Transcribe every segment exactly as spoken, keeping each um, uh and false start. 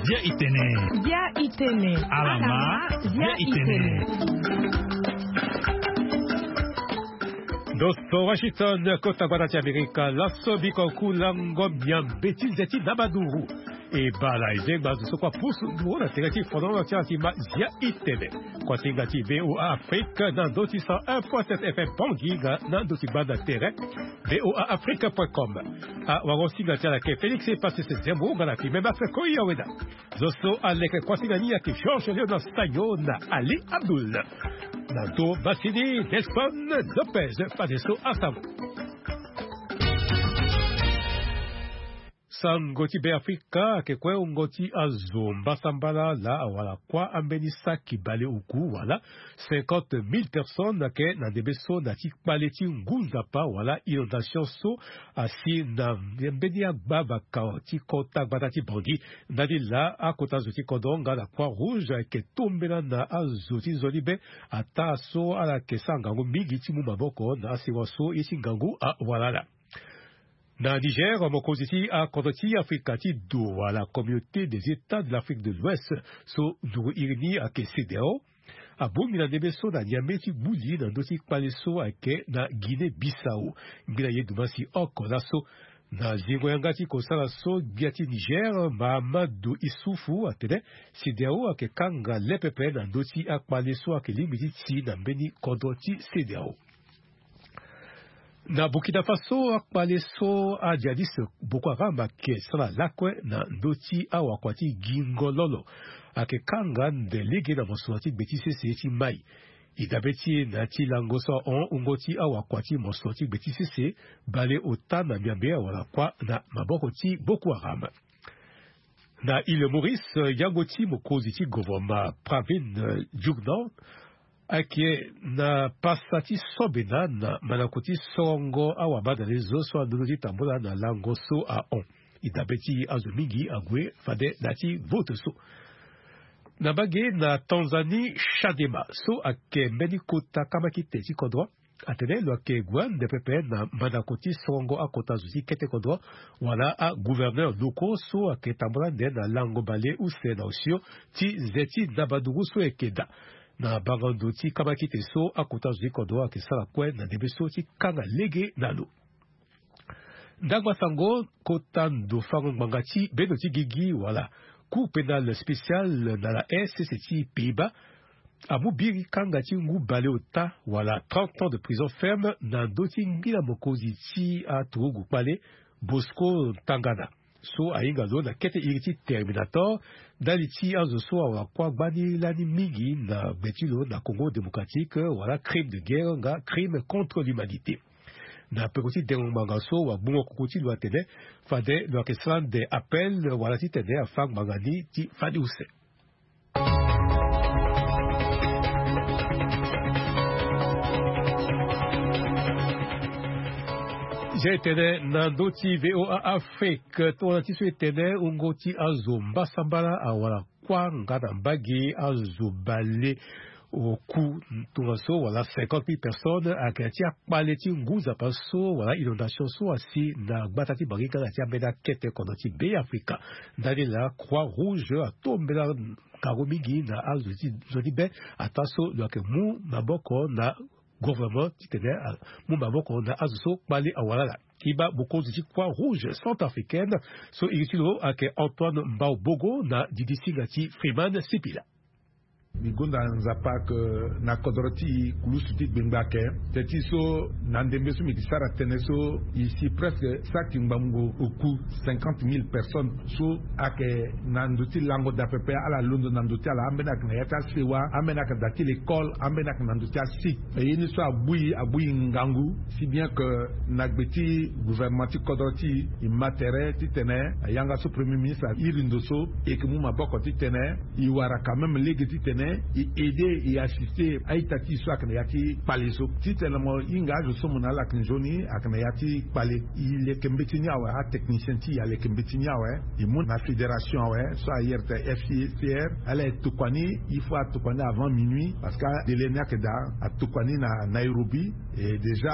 Bia itene. Bia itene. Alama. Bia itene. Ndo so Washington, kota gbata ti Amerika. Laso biko ku lango miambe ti nze ti nabaduru. E bala e zengba zo so kua pusu nduru na tere ti fondolo ti ala ti ma Zia itene. Kuasinga ti VOA Afrique na ndo ti cent un point sept F M Bangui nga na ndo ti gbanda tere. VOA Afrique point com. Awagosinga ti ala ke Félix Pacis Zembo nga na Kimemba Fekoi Aweda. Zo so aleke kuasinga ni ayeke Georges Léonard Sagno na Ali Abdoul. Na ndo masini Nelson Lopez. Fadeso asango. Sango ti Beafrika ayeke kue wungo ti azo mbasambala laa awara kuâ ambeni saki baleoku wala cinquante mille personnes ayeke na ndembe so na ti kpale ti ngu nzapa wala inondation so asi na mbeni agbavaka ti kota gbata ti Bangui. Ndani laa akota zo ti kodro nga na Croix Rouge ayeke tombela na azo ti nzoni be ataa so ala yeke sara ngangu mingi ti mu maboko na asewa so ye ti ngangu awara ala. Na Niger, mokonzi ti akodro ti Afrika ti do wala Communauté des États de l'Afrique de l'Ouest so nduru iri ni ayeke CEDEAO abongbi na ndembe so na Niamey ti gbu li na ndö ti kpale so ayeke na Guinée Bissau. Ngbina ye Dumasi oko laso na zingo yanga ti kosala so gbia ti Niger Mahamadou Issoufou atene CEDEAO ayeke kanga le pepe na ndö ti akpale so ayeke lingbi ti ti na mbeni kodro ti CEDEAO. Na Burkina Faso, akpale so ajihadiste Boko Haram ayeke sara lakue na ndö ti awakua ti gingo lolo ayeke kanga nde lege na mosoro ti gbe ti sese ti mai. E dabe ti e na ya ti lango so ahon wungo ti awakua ti mosoro ti gbe ti sese baleota na miambe awara kuâ na maboko ti Boko Haram. Na Île Maurice, yango ti mokonzi ti gouvernement Pravind Jugnauth ayeke na pasa ti sobena na mandako ti sorongo awabadalezo so andodo ti tambula na lango so ahon. E dabe ti azo mingi ague fade na ya ti vote so. Na mbage na Tanzanie, Chadema so ayeke mbeni kota kamakite ti kodro atene lo yeke gue ande pepe na mandako ti sorongo akota zo ti kete kodro wala agouverneur locaux so ayeke tambula ande na lango bale use na osio ti nze ti nabaduru so ayeke daa na bango ndo ti kamakite so akota zo ti kodro ayeke sara kue na ndembe so ti kanga lege na lo. Ndangba sango, kota ndo fango ngbanga ti bendo ti gigi wala Cour pénale spéciale na la Haye sese ti Pays-Bas amu biri kanga ti ngu baleota wala trente ans de prison ferme na ndö ti ngbina mokonzi ti aturugu kpale Bosco Ntaganda so ahinga lo na kete iri ti Terminator ndali ti azo so awara kuâ gbani lani mingi na gbe ti lo na Congo Démocratique wala crime de guerre nga crime contre l'humanité. Na peko ti dengo ngbanga so wagbungo kuku ti lo atene fade lo yeke sara nde appel wala titene afa ngbanga ni ti fade use. Zia e tene na ndö ti VOA Afrique tongana ti so e tene wungo ti azo mbasambala awara kuâ nga na mbage azo baleoku tongaso wala cinquante mille personnes ayeke na ti akpale ti ngu nzapa so wala inondation so asi na gbata ti Bangui nga na ti ambeni akete kodro ti Beafrika. Ndani laa Croix Rouge atombela ngangu mingi na azo ti nzoni be ataa so lo yeke mu maboko na gouvernement titene amu maboko na azo so kpale awara ala. Kima mokonzi ti Croix Rouge centrafricaine so iri ti lo ayeke Antoine Mbaobogo na didi singa ti Freeman Sipila. Mbi gonda Nzapa ke na kodro ti e kulusu ti gbengba ayeke. Teti so na ndembe so mbi yeke sara tënë so e si presque saki ngbongbongo oku cinquante mille personnes so ayeke na ndo ti lango daa pepe, ala londo na ndo ti ala, ambeni ayeke na ya ti asewa, ambeni ayeke na daa ti lekole, ambeni ayeke na ndo ti asite. E ye ni so agbu e, agbu e ngangu, si bien que na gbe ti gouvernement ti kodro ti e, e ma tere titene yanga so premier ministre a iri ndo so, e yeke mu maboko titene e wara quand même lege titene e aider, e assister a-ita ti e so ayeke na ya ti kpale so. Titene mo hinga azo so mo na ala yeke nzoni ayeke na ya ti kpale, e leke mbeti ni awe, atechnicien ti e aleke mbeti ni awe, e mu na fédération awe so ayere tene F C R, ala e tokua ni, il faut atokua ni avant minuit, parce que délai ni ayeke daa, atokua ni na Nairobi. E déjà,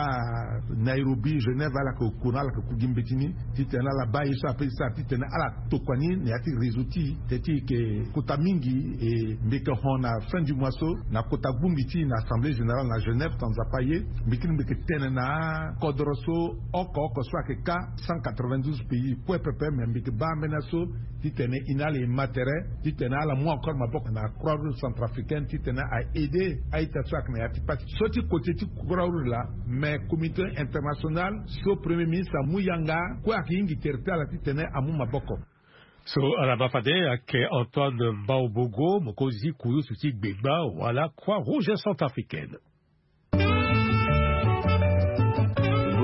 Nairobi, Genève, ala yeke ku na ala yeke ku gi mbeti ni titene ala baa ye so ape ti sara titene ala tokua ni na ya ti réseau ti e, teti e yeke kota mingi. E mbi yeke hon na fin du mois so na kota gbungi ti e na assemblée générale na Genève, tonga nzapa aye, mbi kiri mbi yeke tene na akodro so oko oko so ayeke ka cent quatre-vingt-douze pays kue pepe, me mbi yeke baa ambeni aso titene e na ala e ma tere titene ala mu encore maboko na Croix Rouge centrafricaine titene a aider a-ita so ayeke na ya ti pasi so ti kote ti Croix Rouge laa. Me communauté internationale so premier ministre amu yanga kue ayeke hingi tere ti ala titene amu maboko. So ala ma fade ayeke Antoine Mbaobogo, mokonzi kurusu ti gbengba wala Croix Rouge centrafricaine.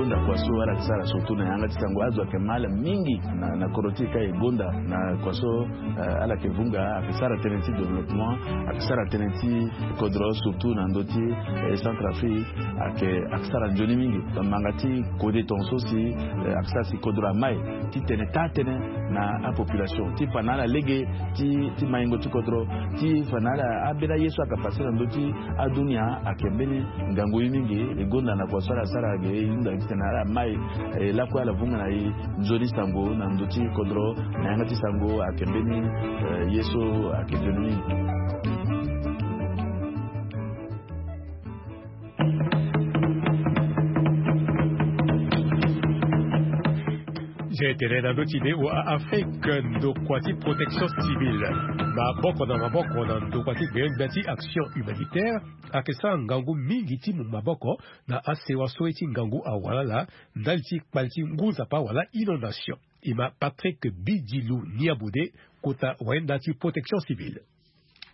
Gonda kua so ala yeke sara surtout na yanga ti sango, azo ayeke ma ala mingi na, na kodro ti e ka e gonda na kua so, eh, ala yeke vunga, ayeke sara tënë ti développement, ayeke sara tënë ti kodro surtout na ndö ti, eh, Centrafrique, ayeke, ayeke sara nzoni mingi. Manga ti kode tonga so si, eh, ayeke sara si kodro amai titene taa tënë na apopulation ti fa na ala lege ti, ti maingo ti kodro, ti fa na ala ambeni aye so ayeke pase na ndö ti adunia ayeke mbeni ngangu ye mingi. E gonda na kua so ala sara ge e hunda titene ala mai, e lakue ala vunga na e nzoni sango na ndö ti kodro na yanga ti sango ayeke mbeni, eh, ye so ayeke nzoni mingi. Zia e tene na ndö ti be wa Afrique ndokua ti protection civile, maboko na maboko na ndokua ti gbengbe ti action humanitaire, ayeke sara ngangu mingi ti mu maboko na asewa so ye ti ngangu awalala ndali ti kpale ti ngu nzapa wala inondation. E ma Patrick Bidilu Niabode, kota wayenda ti protection civile.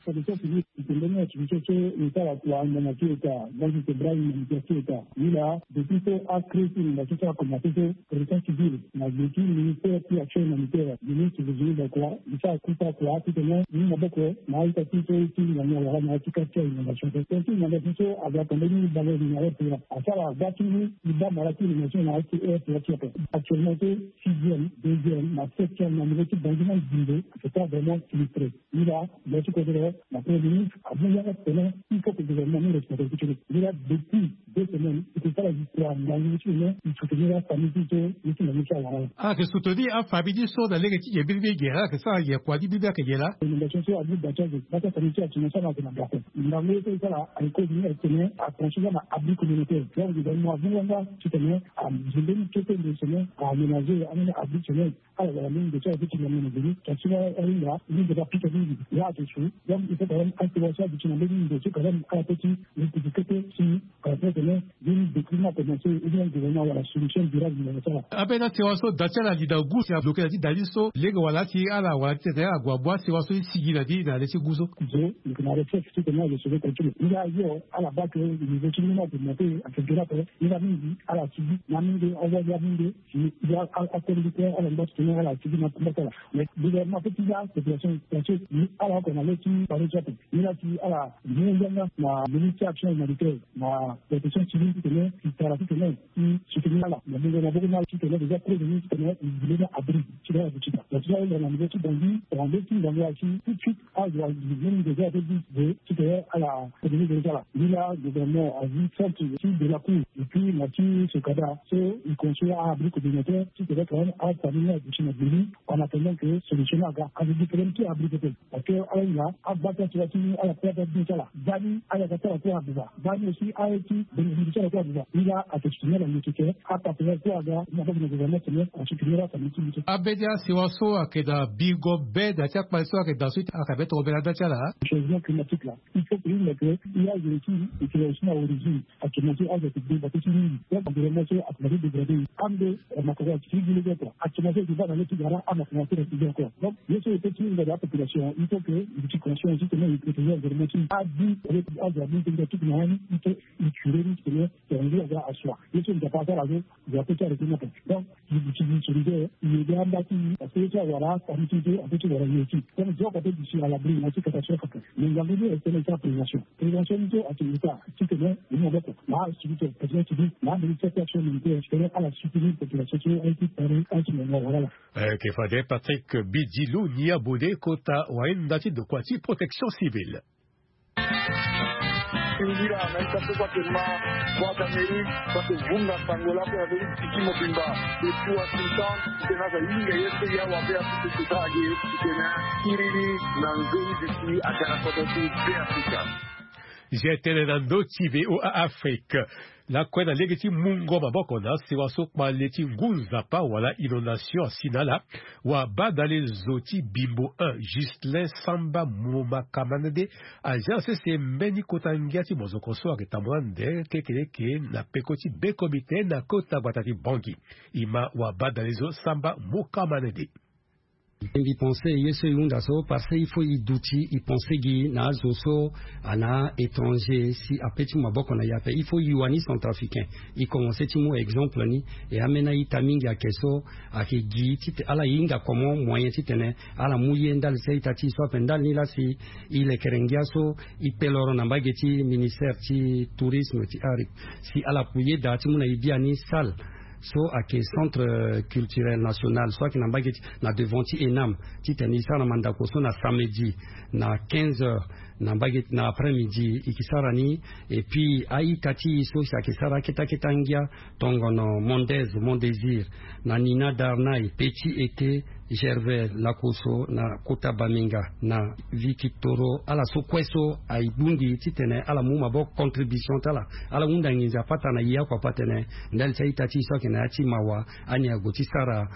Protection civile, e tene ni activité so e sara kua ngbanga ti eta, banque centrale humanitaire ti eta. Ni laa depuis so acrée ti inondation so akomanse so, protection civile na gbe ti ministère ti action humanitaire, ministre Virginie Bakwa, e sara kuta kua titene e mu maboko na a-ita ti so ti ngangu awara na ya ti kati ti inondation so. Tënë ti inondation so aga pendant ni bale ni na airport, asara gba ti ngu e baa mara ti inondation na ya ti airport ti ape. Actuellement so sixième, deuxième na septième na niveau ti Bangi na Zimbé, c'est pas vraiment sinistré. Ni laa, lo ti kodoro na premier ministre amu yanga tene il faut que gouvernement ni responsabilité ti lo. Ni laa depuis deux semaines e ke sara histoire ngangu ti lo, e soutenir afamille ti so ye ti ngangu ti awara. Ala yeke soutenir afamille ti so na lege ti ge biribi ge, ala yeke sara ge kua ti biribi ayeke ge laa. Inondation so amu dacha ge, bata famille ti action so ala yeke na gako. Ngangu ye so e sara ayeke kozoni ayeke tene attention nga na abri communautaire. Donc gouvernement amu yanga titene azi mbeni kete ndo tene a aménager ambeni abri tene. Ala wara mbeni ndo so ala peut ti lango na geni, kasi ala ahinga mbeni ndo so apika mingi. Ya azo so, donc il faut quand même asewa so aduti na mbeni ndo so quand même ala peut ti rectifier kete si ala peut tene mbeni détriment akomanse ou bien gouvernement awara solution durable na ya ti ala. Ambeni asewa so da ti ala ali na gu si abloke na ti da ni so lege wala si ala wara titene ala gue amu asewa so e sigi na ni na le ti gu so. Zo, donc na recherche titene ala sauver continue. Nga ayo ala baa que niveau ti mbeni akomanse ayeke durable. Nga mingi ala sigi na mingi awa ya mingi. Si ya akoli ti ala ngba ti tene ala tigi na kumba ti ala. Mais gouvernement ape ti ya population parce que ni ala oko na le ti pare ti ape. Ni la si ala mu yanga na ministre ti action humanitaire na protection civile ti tene si tara ti tene si soutenir ala na mungo maboko ni ala ti tene déjà prévenir ti tene i zi mbeni abri ti tene ala duti na. Na ti ala na niveau ti Bangui, na niveau ti Bangui asi tout de suite azo azi mbeni déjà ape dix de ti tene ala prévenir déjà ala. Ni la gouvernement azi centre ti de la cour et puis na ti Sokada so e construire a-abri communautaire ti tene quand même afamille ni aduti na gbe ni en attendant que solution ni aga. Azo gi problème ti abri pepe parce que ala hinga agba ti asura ti ala pe ape abin ti ala. Baa ni ala yaka ti ala kue aduba. Baa ni aussi aye ti bengibingi ti ala kue aduba. Ni la ayeke soutenir ala nécessaire. Apartenaire kue aga ni abaa gi na gouvernement tene asoutenir afamille ti mbi so. Ambeni asewa so ayeke na bingo be na ti akpale so ayeke daa so ita ayeke be tongombe na nda ti ala. Changement climatique la. Il faut que i hinga que i azo ti i tene aussi na origine. Actuellement so azo ayeke gbe bate ti mingi. Donc environnement so ayeke na ti dégradé. Ande makoro ayeke ti gi lege oko. Actuellement so ayeke baa na le ti gara amakoro ayeke ti gi encore. Donc ye so e peut ti hinga na apopulation il faut que i ti conscient ti tene i protéger environnement ti i. Adi azo abin tene ti na ya ni il faut i curé ni ti tene tene ngu aga asua. Ye so nzapa asara so nzapa ape ti arrêté ni ape. Donc i duti gi solution i yeke anda ti i parce que ye so awara amu ti so ape ti wara ye ti. Donc zo oko ape duti à l'abri na ti catastrophe ape. Mais ngangu ni ayeke tene ti apréhension. Prévention ni so ayeke état ti tene ni maboko na asibiti président civil na ministère ti action militaire ti tene ala soutenir population ti aye ti pare aye ti ngangu awara ala. Ayeke fade Patrick Bidilu Niabode kota wayenda ti ndokua ti protection civile. Singila na ita so kua te ma Voix d'Amérique kua te vunga sango lako na ndö ti tiki mobimba. Depuis Washington titene aza hinga ye so ya wabe aso ti sosara ge titene akiri ni na nzoni duti aga na kodro ti Beafrika. Zi tene na ndö ti VOA Afrique. Lakue na lege ti mungo maboko na sewa so kpale ti ngu nzapa wala inondation asi na ala. Wabadale zo ti Bimbo un, Justin Samba Mokamande, azia na sese mbeni kota ngia ti mozoko so ayeke tambula nde kekeleke na peko ti be komite na kota gbata ti Bangui. E ma wabadale zo Samba Mokamande. Mbi pense ye so e hunda so parce que il faut e duti e pense gi na azo so ana étranger si ape ti mu maboko na e ape. Il faut e wani centrafricain e commence ti mu exemple ni. E ambeni a-ita mingi ayeke so ayeke gi titene ala hinga comment moyen titene ala mu ye ndali ti a-ita ti e so ape. Ndali ni laa si e lekere ngia so e peloro na mbage ti ministère ti tourisme ti ari si ala ku yeda ti mu na e biani salle so ayeke centre culturel national so ayeke na mbage ti na devant ti ENAM titene e sara na mandako so na samedi na quinze heures na mbage na après midi e yeke sara ni. Et puis a-ita ti e so si ayeke sara akete akete angia tongono Mondez, Mont Désir, na Nina Darnay, Petit Été, Gervais, Lakosso, na kota Bamenga, na Vikitoro, ala so kue so aye bungbi titene ala mu maboko contribution ti ala. Ala hunda nginza pata na e oko ape atene ndali ti a-ita ti e so ayeke na ya ti mawa ani ague ti sara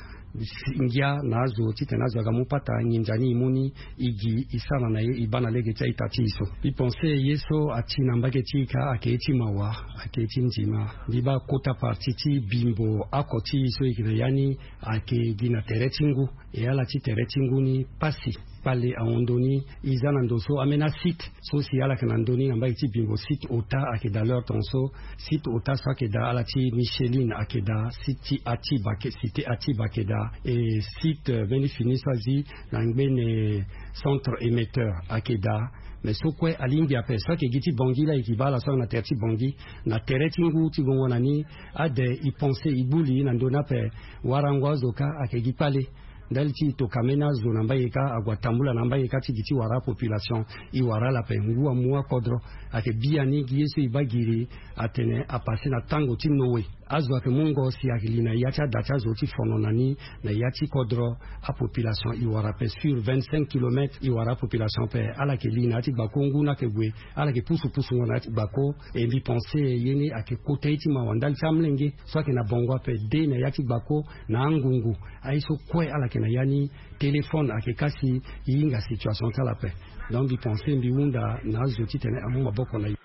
ngia na azo titene azo aga mu pata nginza ni e mu ni e gi e sara na ye e baa na lege ti a-ita ti e so. Mbi pense ye so ati na mbage ti e ka ayeke ye ti mawa, ayeke ye ti ndima. Mbi baa kota parti ti Bimbo oko ti e so e yeke na ya ni ayeke gi na tere ti ngu. E ala ti tere ti ngu ni pasi kpale ahon ndoni. E za na ndo so ambeni asite so si ala yeke na ndö ni na mbage ti Bimbo, site ota ayeke daa. L'heure tongaso site ota so ayeke daa ala ti Micheline ayeke daa, site ti Atiba ayeke, cité Atiba ayeke daa, e site mbeni fini so azi na ngbene centre émetteur ayeke daa. Mais so kue alingbi ape so ayeke gi ti Bangui laa e yeke baa ala so ayeke na tere ti Bangui na tere ti ngu ti gongo na ni. Ade e pense e gbu li na ndö ni ape. Warango azo kâ ayeke gi kpale. Ndali ti e tokua ambeni azo na mbage kâ ague atambula na mbage kâ ti gi ti wara apopulation. E wara ala ape ngu amu akodro. Ayeke biani gi ye so e baa giri atene apasse na tango ti Noé. Azo ayeke mungo si ayeke li na ya ti ada ti azo ti fono na ni na ya ti kodro. Apopulation e wara ape sur vingt-cinq kilomètres e wara apopulation ape. Ala yeke li na ya ti gbako ngu ni ayeke gue. Ala yeke pusu pusungo na ya ti gbako. E mbi pense ye ni ayeke kota ye ti mawa ndali ti amolenge so ayeke na bongo ape de na ya ti gbako na angungu. Aye so kue ala yeke na ya ni téléphone ayeke kâ si e hinga situation ti ala ape. Donc mbi pense mbi hunda na azo titene amu maboko na e.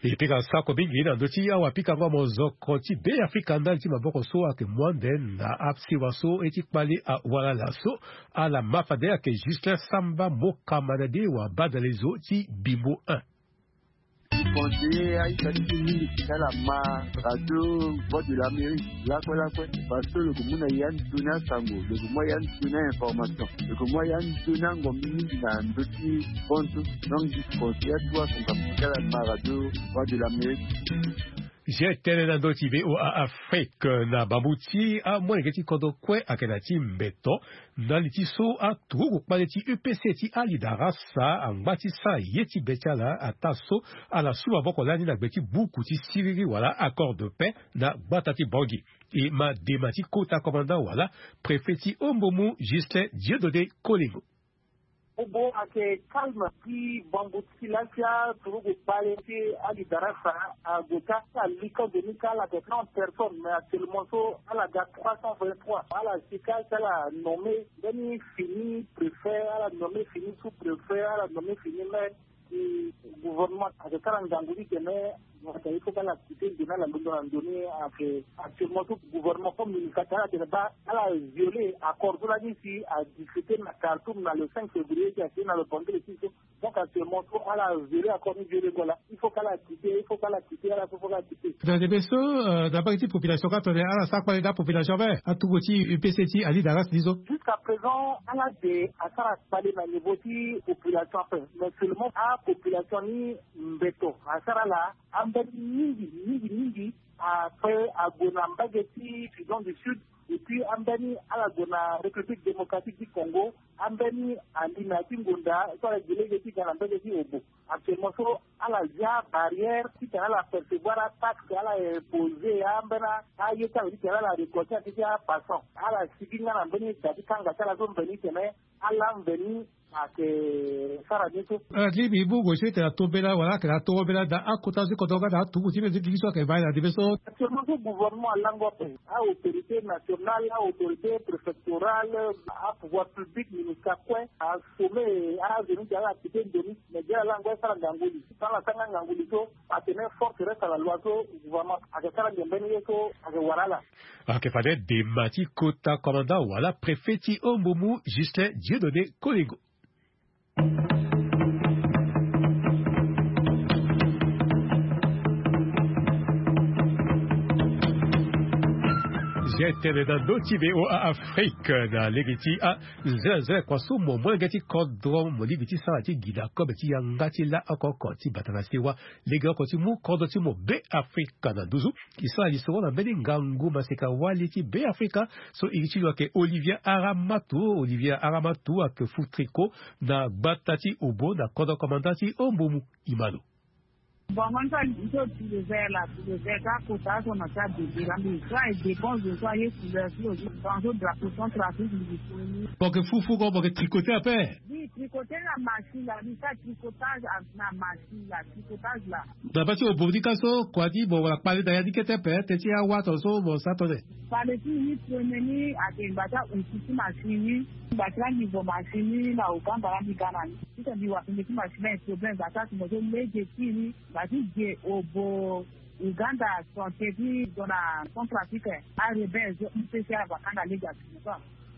E pika sako mingi na ndö ti awapikango mozoko ti Beafrika ndali ti maboko so ayeke mu ande na asewa so ye ti kpale awara laso. Ala ma fade ayeke Justin Samba Mokamande wabadale zo ti Bimbo un. Conseiller a-ita ti e mingi ti ala ma radio Voix de l'Amérique lakue lakue. Parce que lo yeke mu na ya ndoni asango, lo yeke mu ya ndoni a-information, lo yeke mu ya ndoni angombi mingi na ndö ti konso. Donc mbi conseiller atu asango ape ti ala ma radio Voix de l'Amérique. Zi tënë na ndö ti VOA Afrique. Na bambu ti amolenge ti kodro kue ayeke na ya ti mbeto. Ndali ti so aturugu kpale ti UPC ti Ali Darasa angba ti sara ye ti be ti ala ataa so ala su maboko lani na gbe ti buku ti siriri wala accord de paix na gbata ti Bangui. E ma dema ti kota commandant wala préfet ti Ombomu Justin Dieudonné Kolingo. Obo ayeke calme ti bambu ti lasia turugu kpale ti Ali Darasa ague ka ala li kodro ni ka ala yeke trente personnes mais actuellement so ala ga trois cent vingt-trois. Ala si ka si ala nommé mbeni fini préfet, ala nommé fini sous-préfet, ala nommé fini maire. Ti gouvernement ayeke sara ngangu ti tene il faut ka ala quitté nzoni ala londo na ndoni. Ayeke actuellement so gouvernement comme ministre ayeke ala tene baa ala violé accord so lani si adiscuté na Khartoum na le cinq février ti ayeke na le banque de so. Donc actuellement so ala violé accord ni violé ngo laa il faut ka ala quitté, il faut ka ala quitté, ala so faut ka ala quitté. Tongana debe so na mbage ti population ka tongana ala sara kpale na apopulation ape aturugu ti UPC ti Ali Darasa ni so. Jusqu'à présent ala de asara kpale na niveau ti population ape mais seulement apopulation ni mbeto asara ala ambeni mingi mingi mingi. Après ague na mbage ti Sudan du Sud, et puis ambeni ala gue na République Démocratique du Congo. Ambeni andi na ya ti ngonda so ala gi lege ti ga na mbage ti Obo. Actuellement so ala zia barrière ti tena ala percevoir ataxe ala imposer ambeni aye ti ala ti tena ala récolter ati ti apassant. Ala sigi nga na mbeni da ti kanga ti ala so mbeni tene ala mbeni ake sara ni so. Ala ti mbi bu gue so ete na tobela wala ake na tobela da akota so kodro nga na atuku ti mbi so gigi so ake bai na debe so. Actuellement so gouvernement alango ape, a autorité nationale, a autorité préfectorale, a pouvoir public, ministre kue asome azoni ti ala kite ndoni. Mais dia alango asara ngangoli so ala sara nga ngangoli so, atene force reste à la loi so gouvernement ake sara nge mbeni ye so ake wara ala. Ake fade dema ti kota commandant wala préfet ti Ombumu, Justin Dieudonné Kolengo. Zia tene na ndö ti V O A Afrique na lege ti a nzela nzela kua so mo molenge ti kodro mo lingbi ti sara ti gi na kobe ti yanga ti la oko oko ti bata na sewa. Lege oko ti mu kodro ti mo Be Afrika na nduzu. E sara lisoro na mbeni ngangu maseka wali ti Be Afrika so iri ti lo ayeke Olivier Aramatu. Olivier Aramatu ayeke fu tricot na gbata ti Obo na kodro commandant ti Ombumu. Imano. Bon, mon frère, il faut tu le verre là, tu le verre, quand kota son a ta bébé là, mais soit il dépend de soi, il est couleur, puis aussi, dans le drapeau, son trafic, il est connu. Bon, que fou, fou, bon, que tricoter après. Oui, tricoter la machine là, oui, ça, tricotage à la machine là, tricotage là. Na basi obodi ka so kua ti bon wala kpale na ya ni kete ape teti awa tonso mo sa tone. Kpale ti ni premier ni ake ngba ti auti ti machine ni. Ngba ti la niveau machine ni na Uganda la mbi ga na ni. Ti so mbi wa tene ti machine ni problème ngba ti atingo so lege ti ni. Ngba ti ge obo Uganda santé ti zo na Centrafrique. Arebelle zo mpesi ala va kanga lege atingo so.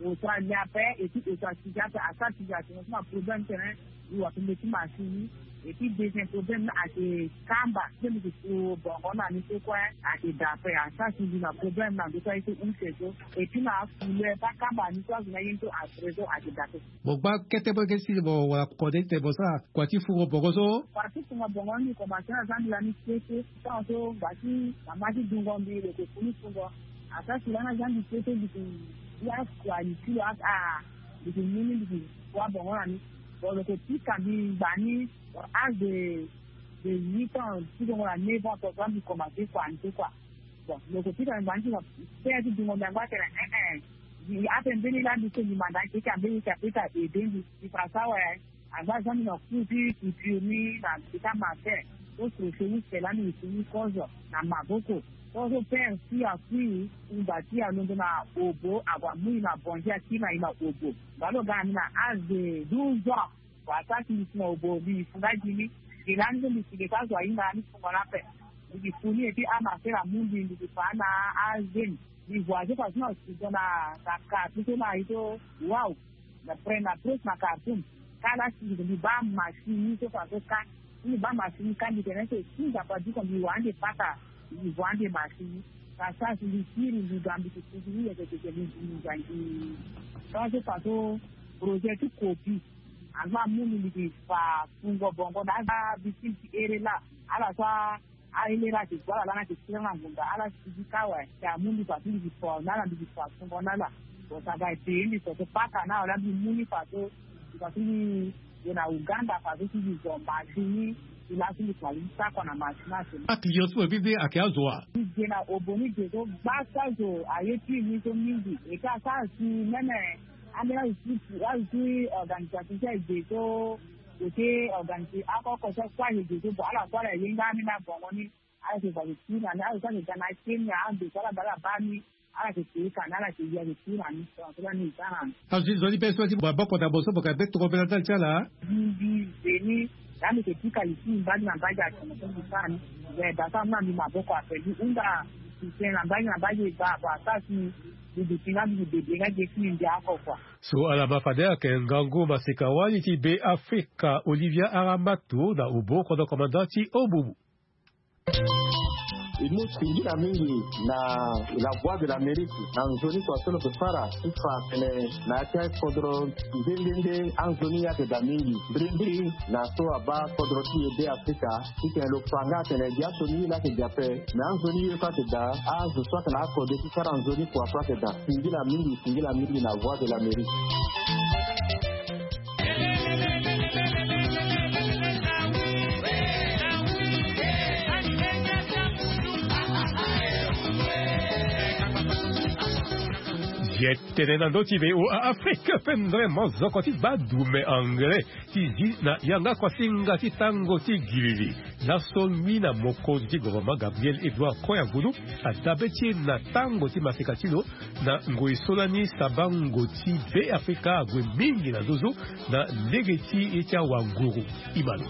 Auto alia ape et puis auto asigi ape asara sigi atingo so na problème tene. Mbi wa tene ti machine ni. Et puis deuxième problème ni ake kamba so mbi ke so bongo na ni so kue ake da ape asara sigi na problème na ndo so aye so use so. Et puis na afule pa kamba ni so azo na ye ni so atrésor ake da ape. Mo gba kete mo yeke si mo wara kode ti tene mo sara kua ti fungo bongo so. Kua ti fungo bongo ni mbi komanse na zambila ni kete. Tango so ngba ti mama ti dungo mbi lo yeke fu ni fungo. Asara si langa zia mbi kete mbi yeke ya kua ni ti lo aka. Mbi yeke mu ni mbi yeke kua bongo na ni. Bon lo yeke pika mbi ngba ni. Bon âge de de huit ans ti dongo na neuf ans tonga mbi komanse kua ni so kua. Bon lo yeke pika mbi ngba ni ti na pere ti dungo mbi angba atene eh eh. Ape mbeni laa mbi so mbi manda akeke ambeni yeke apeka aide mbi. Mbi fa so awe. Angba zia mbi na cours ti couture ni na mbi ti amatin. So crochet ni sela mbi yeke ni kozo na maboko. Kozo pere ti akui ngba ti alondo na obo ague amu i na bongi akiri na i na obo. Ngba lo ga na mbi na âge de douze ans. Wala sara si mbi si na obo mbi fu nga gi ni. Gi lani so mbi si ge so azo ahinga ni fungo ni ape. Mbi gi fu ni et puis amasera amu mbi mbi gi fa na azemi. Mbi voyage façon na studio na na quartier so na ye so. Waw. Na près na près na Khartoum. Kâ la si mbi baa machine ni so façon kâ. Si mbi baa machine ni kâ mbi tene so si nzapa diko mbi wa ande pata. Mbi voit ande machine ni. Ka sara si mbi kiri mbi ga mbi ti kutu ni yeke tete mbi mbi ga mbi. Façon façon projet ti kopi. Angba amu mbi mbi ti fa fungo bongo na aza bikin ti ere laa. Ala so aele laa ti gue ala laa na ti kiri na ngunda ala sigi kâ awe. Ti amu mbi fa ti mbi ti fa na ala mbi ti fa fungo na ala. Bon ça va ete mbi so so paka na ala mbi mu ni fa so. Mbi fa ti mbi gue na Uganda fa so ti mbi zo machine ni. Ti laso mbi kua li ti sako na machine ase. Aclient ti mo mbi mbi ayeke azo wa? Mbi gue na obo ni gue so gbasa zo aye ti ni so mingi. Eke asara si meme Ambeni azo ti azo ti organisation ti aye ge so lo ti organise oko oko so kue aye ge so bon ala kue ala ye nga ambeni abongo ni. Ala yeke fa yeke kiri na ni azo so ayeke ga na akeni ande so ala ga ala baa ni. Ala yeke kiri ka ni ala yeke ye ayeke kiri na ni. Donc so la ni e sara na ni. Azo ti zo ni be so ti maboko na mo so mo yeke be tongana mbela ndali ti ala. Mbi mbi ze ni. Laa mbi yeke pika li ti mbi mbage na mbage atene so mbi sara ni. Ze da so amu na mbi maboko ape mbi hunda. Mbi tene na mbage na mbage e baa bon asara si mbi duti nga mbi gi bebe nga ge ti mbi mbi oko kua. So ala ma fade ayeke ngangu maseka wali ti Be Afrika Olivia Aramatu na obo kodro komanda ti Ombumu. E mu singila mingi na La Voix de l'Amérique na nzoni kua so lo yeke fara ti fa atene na ya ti akodro nde nde nde anzoni ayeke daa mingi. Mbirimbiri na so abaa kodro ti e Be Afrika titene lo fa nga atene gi aso ni ye laa ayeke daa ape. Me anzoni ye so ayeke daa, azo so ayeke na akode ti sara nzoni kua so ayeke daa. Singila mingi, singila mingi na Voix de l'Amérique. Ye tene na ndö ti V O A Afrique pendere mozoko ti baa dume anglais ti zi na yanga kuasinga ti tango ti giriri. Laso ngbi na mokonzi ti gouvernement Gabriel Edouard Koyangulu adabe ti e na tango ti maseka ti lo na ngoi so lani sabango ti Be Afrika ague mingi na zozo na lege ti e ti awanguru. Imalo.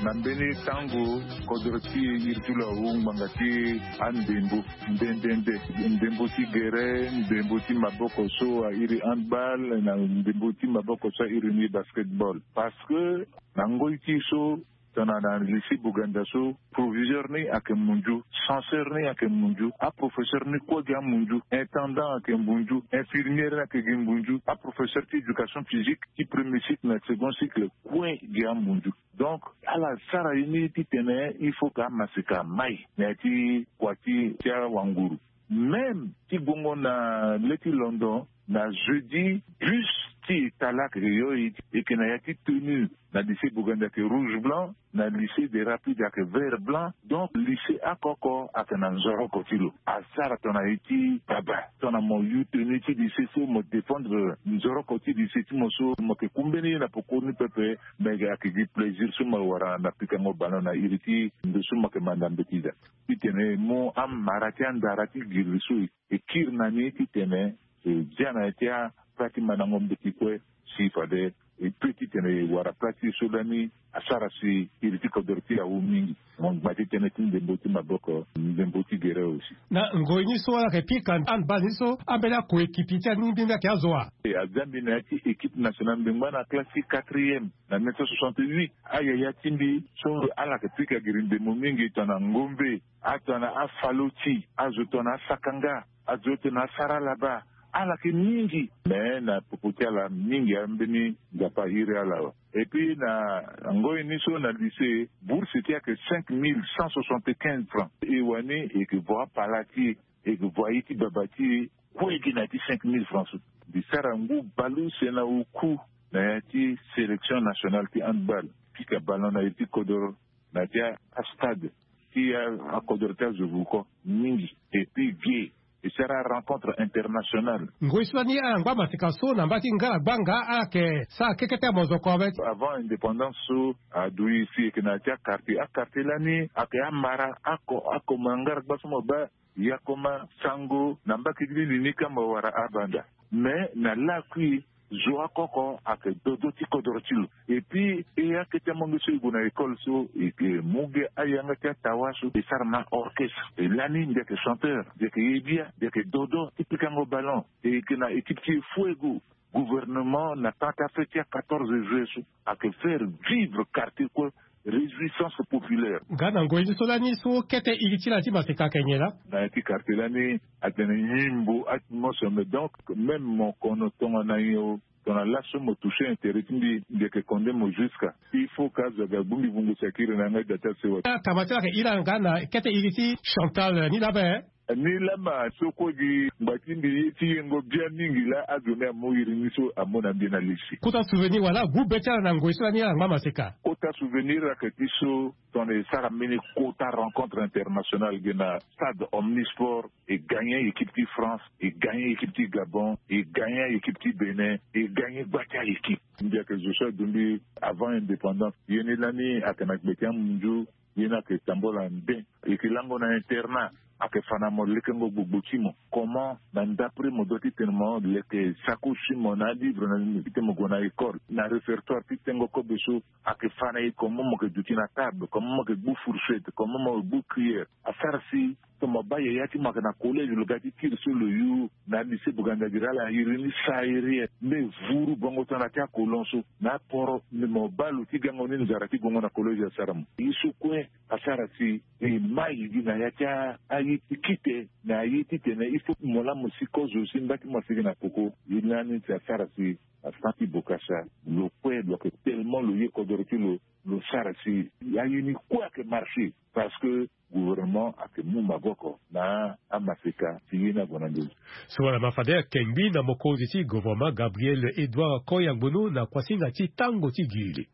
Na mbeni tango kodro ti e iri ti lo awu ngbanga ti andembo nde nde nde, ndembo ti gere, ndembo ti maboko so airi handball na ndembo ti maboko so airi ni basketball. Parce que na ngoi ti so tongana na lycée Boganda so, proviseur ni ayeke munzu, censeur ni ayeke munzu, aprofesseur ni kue gi amunzu, intendant ayeke munzu, infirmière ni ayeke gi munzu, aprofesseur ti éducation physique ti premier cycle na second cycle kue gi amunzu. Donc ala sara ye ni titene il faut que amaseka mai na ya ti kua ti ti awanguru. Même ti guengo na le ti London, na jeudi bus ti Italie ayeke yo e, e yeke na ya ti tenue. Na lycée Boganda ayeke rouge blanc, na lycée des Rapides ayeke vert blanc. Donc lycée oko oko ayeke na nzoroko ti lo. Asara tongana ye ti baba, tongana mo yu tenue ti lycée so mo défendre nzoroko ti lycée ti mo so, mo yeke ku mbeni ye na pokoni pepe. Mais ayeke gi plaisir so mo wara na pikango ballon na iri ti ndo so mo yeke manda mbeti daa. Titene e mu amara ti andara ti giri so e kiri na ni titene e zia na ya ti apla ti mandango mbeti kue. Si fade e pe titene e wara pla ti e so lani asara si iri ti kodro ti e awu mingi. Mo ngba ti tënë ti ndembo ti maboko, ndembo ti gere aussi. Na ngoi ni so ala yeke pika handball ni so, ambeni akoekipi ti aningbi ni ayeke azo wa? E, azia mbi na ya ti équipe nationale, mbi ngba na classe ti quatrième na neuf cent soixante-huit. Ayaya ti mbi so ala yeke pika giri ndembo mingi tongana ngombe, atongana afaloti, azo tongana asakanga, azo tongana asara laba, ala yeke mingi. Me na popo ti ala mingi ambeni Nzapa airi ala awe. Et puis na ngoi ni so na lycée, bourse ti e ayeke cinq mille cent soixante-quinze francs. E wani e yeke vo apala ti e, e yeke vo aye ti baba ti e, kue gi na ya ti cinq mille francs so. Mbi sara ngu bale use na oku na ya ti sélection nationale ti handball, pika ballon na iri ti kodoro na ya ti astade ti akodoro ti azo vuko mingi. Et puis ge e sara rencontre internationale. Ngoi so lani ala ngba maseka so na mba ti ngala gbanga ala yeke sara keke ti amozoko awe. Avant indépendance so adui si e yeke na ya ti aquartier, aquartier lani ayeke amara ako, ako ma ngala gba so mo baa Yakoma, Sango, na mbaki ti lili ni kamba wara abanda. Mais na lakui zo akoko ayeke dodo ti kodro ti lo. Et puis e akete amonge so e gue na école so e ke mu ge ayanga ti atawa so e sara na orchestre. E lani mbi ayeke chanteur, mbi ayeke ye bia, mbi ayeke dodo ti pikango ballon. E yeke na équipe ti e Fuego. Gouvernement na temps ti afête ti a quatorze juillet so ayeke faire vivre quartier kue réjouissance populaire. Nga na ngoi ti so lani so kete iri ti la ti maseka ayeke nyen laa? Na ya ti quartier lani atene nyimbo atmosphère, mais donc même mo kono tongana nyen o, tongana laso mo toucher intérêt ti mbi, mbi yeke condamner mo jusqu'à. Il faut que azo aga gbu mbi vungo si akiri na yanga ti da ti asewa. Akama ti la ayeke iri ala nga na kete iri ti Chantal ni laa be? Ni lama so kue gi ngba ti mbi ye ti yengo bia mingi laa azo ni amu iri ni so amu na mbi na lisi. Kota souvenir wala gu be ti ala na ngoi so lani ala ngba maseka? Kota souvenir ayeke ti so tongana e sara mbeni kota rencontre internationale ge na stade Omnisport, e gagner équipe ti France, e gagner équipe ti Gabon, e gagner équipe ti Bénin, e gagner gba ti a-équipe. Mbi ayeke zo so aduti mbi avant indépendance. Ye ni lani ayeke na gbe ti amunzu. Ye ni ayeke tambula nden. E yeke lango na internat, ayeke fa na mo lekengo gbogbo ti mo. Comment na ndapre mo doit ti tene mo leke sacoche ti mo na alivre na ti tene mo gue na école, na répertoire ti tengo kobe so ayeke fa na e, comment mo yeke duti na table, comment mo yeke gbu fourchette, comment mo yeke gbu cuillère. Asara si So mo baa yaya ti mo ayeke na collège, lo ga ti kiri so lo yu na lycée Buganda Diri, ala iri ni sahérien. Mbi vuru bongo so na ti akolon so na aporo, mbi mo baa lo ti gango ni nzara ti gongo na collège asara mo. Ye so kue asara si e mai gi na ya ti a- aye ti kite na aye titene il faut mo laa mo si kozo si mba ti mo asigi na koko. Ye lani si asara si afa ti bokasa lo kue lo yeke tellement lo ye kodoro ti lo, lo sara si aye ni kue ayeke marché. Parce que gouvernement ayeke mu maboko na amaseka ti ye ni ague na ndö. So wala ma fade akengbi na mokonzi ti gouvernement Gabriel Edouard Koyangbono na kuasinga ti tango ti gili.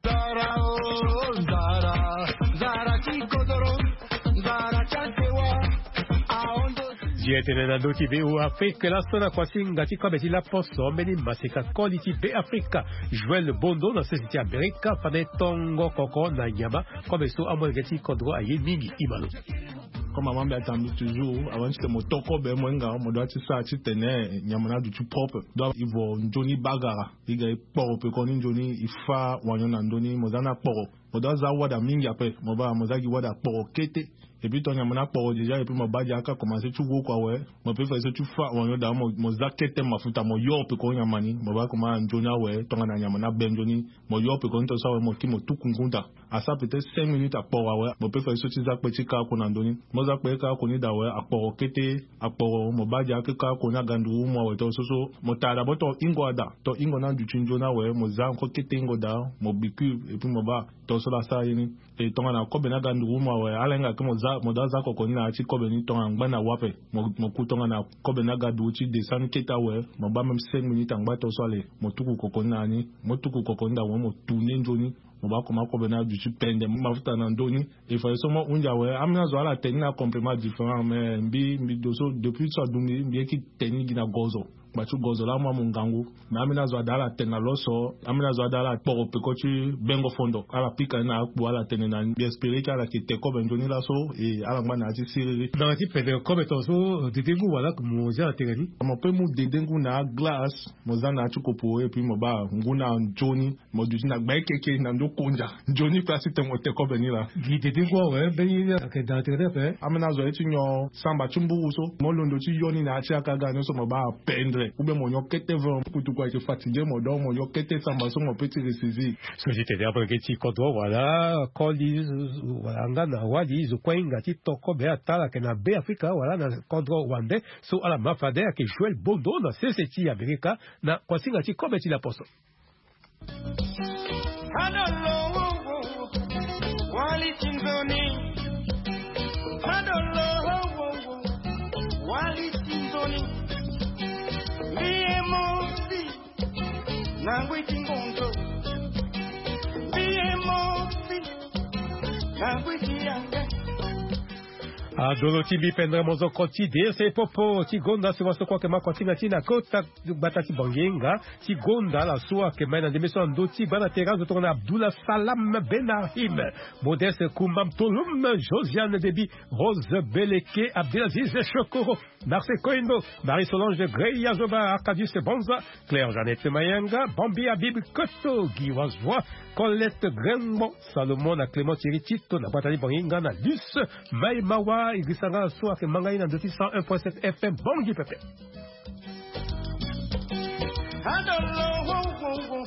Nzara o, nzara, nzara ti kodoro, nzara ti asewa, aondo. Zi etene na ndö ti be o Afrique laso na kuasinga ti kobe ti laposo mbeni maseka koli ti be Afrika, Joël Bondo na sese ti Amerika, fade tongo koko na nyama kobe so amolenge ti kodro aye mingi. Imalo. Comme ama mbi atambuli toujours, avant ti tene mo to kobe mo hinga, mo doit ti sara titene nyama ni aduti propre. Donc il faut nzoni bagara. I ga i kporo peko ni nzoni, i fâ wanyo na ndö ni, mo za ni akporo. Mo doit za wada mingi après, mo baa mo za gi wada akporo kete. Et puis ton nyama ni akporo déjà, et puis mo baa dia aka commencé ti woku awe. Mo peut fade so ti fâ wanyo daa, mo, mo za kete mafuta, mo yo peko nyama ni, mo baa koma nzoni awe, tongana nyama ni abe nzoni, mo yo peko ni ton so awe, mo ki mo tuku ngu daa. Asara peut-être cinq minutes akporo awe, mo peut fade so ti za kpe ti kâ oko na ndö ni. Mo za kpe ti kâ oko ni daa awe, akporo kete, akporo, mo baa dia kâ oko ni aga nduru mu awe ton so so. Mo tara daa bo ton hingo ada, ton hingo ni aduti nzoni awe, mo za encore kete hingo daa, mo bikure, et puis mo baa ton so la sara ye ni. E tongana kobe ni aga nduru mu awe, ala hinga ke mo za, mo doit za koko ni na ya ti kobe ni tongana ngba na wa ape. Mo, mo ku tongana kobe ni aga nduru ti descendre kete awe, mo baa même cinq minutes angba ton so ale, mo tuku koko ni na ya ni, mo tuku koko ni daa awe, mo tourner nzoni. Mo baa koma kobe ni aduti pende mafuta na ndö ni. E fade so mo hunzi awe, ambeni azo ala tene ni na complément différent, mais mbi, mbi do so depuis so adu mbi, mbi ye ti tene ni gi na gozo. Ngba ti gozo laa amu amu ngangu. Mais ambeni azo ada ala tene na lo so, ambeni azo ada ala kporo peko ti bengo fondo. Ala pika ni na akpo, ala tene na ni. Mbi espérer ti ala yeke te kobe nzoni laso, e ala ngba na ya ti siriri. Na ya ti pende kobe ton so, dede ngu wala mo za na tere ni? Mo peut mu dede ngu na aglace, mo za na ya ti kopo, et puis mo baa ngu na nzoni. Mo duti na gbe keke na ndö konza. Nzoni place ti tene mo te kobe ni laa. Gi dede ngu awe, mbeni ye ni ayeke daa tere ni ape. Ambeni azo aye ti nyon samba ti mburu so, mo londo ti yo ni na ya ti aka ga ni so mo baa pendre. Ou bien mo nyon kete vin, kutuku ayeke fatigué mo, donc mo nyon kete samba so mo peut ti ressaisir. So ti tene amolenge ti kodro wala koli, wala nga na wali, zo kue ahinga ti to kobe ata ala yeke na Be Afrika wala na kodro wande. So ala ma fade ayeke Joël Bondo na sese ti Amerika na kuasinga ti kobe ti laposo. Adolo, wo, wo, wo. Wali ti nzoni. Adolo, wo, wo, wo. Wali ti nzoni. Mbi ye mo si. Na ngui ti ngonzo. Mbi ye mo si. Na ngui ti yanga. Adolo ti mbi pendre mozoko ti de se popo ti gonda si waso kue ayeke ma kuasinga ti na kota gbata ti Bangienga ti gonda ala so ayeke ma ye na ndembe so na ndö ti gbanda tere azo tongana Abdullah Salam Benahim, Modeste Kumba Mtolum, Josiane Debi, Rose Beleke, Abdelaziz Shokoro, Marcel Koindo, Marie-Solange Grey Azoba, Arcadius Banza, Claire Jeannette Mayenga, Bambi Habib Koto, Guy Wazwa, Colette Grengbo, Salomon na Clément Thierry Tito na gbata ti Bangienga na Luce Mai Mawa, Idrissa Ngala so ayeke ma ngai na ndö ti cent un point sept F M Bangui pepe. Adolo, wo, wo, wo.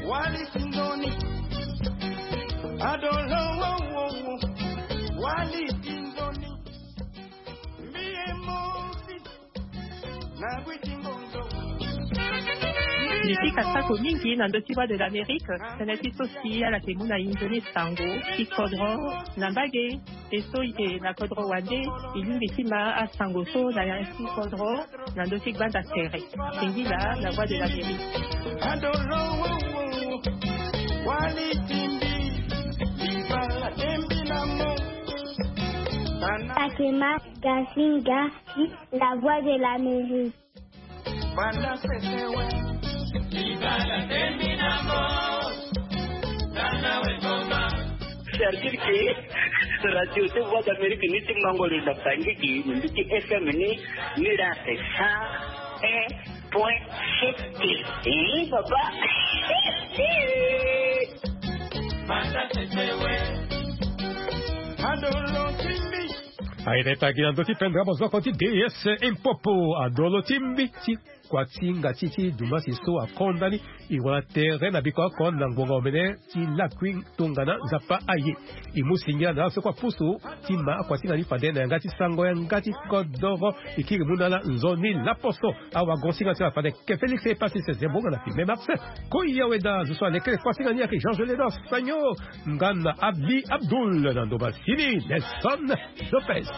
Wali ti nzoni. Adolo, wo, wo, wo. Wali ti nzoni. Mbi ye mo si. Mbi ti kasako mingi na ndö ti Voix de l'Amérique, tënë ti so si ala yeke mu na e nzoni sango ti kodro na mbage. E so e yeke na kodro wande, e lingbi ti ma asango so na ya ti kodro na ndö ti gbanda tere. Singila na Voix de l'Amérique. Akema Gasinga, la Voix de l'Amérique. C'est-à-dire que radio ti Voix d'Amérique ni ti mango lo na Bangui gi, ni ti F M ni, ni la c'est cent un point sept. Eh, papa. Adolo timbi. Aye na epagi na ndö ti pendere mozoko ti D S Impopo adolo ti mbi ti kuatinga ti ti dumasi so akonda ni. E wara tere na biko oko na ngonga omene ti lakui tongana Nzapa aye. E mu singila na ala so kue apusu ti ma akuatinga ni fade na yanga ti sango yanga ti kodoro. E kiri mu na ala nzoni laposo. Awagon singa ti ala fade ke Félix e pasi se zembonga na filme Marseille. Koya weda zo so alekere kuatinga ni ayeke Georges Lédor Sagno. Nga na Abdi Abdul na ndoba sini Nelson Lopez.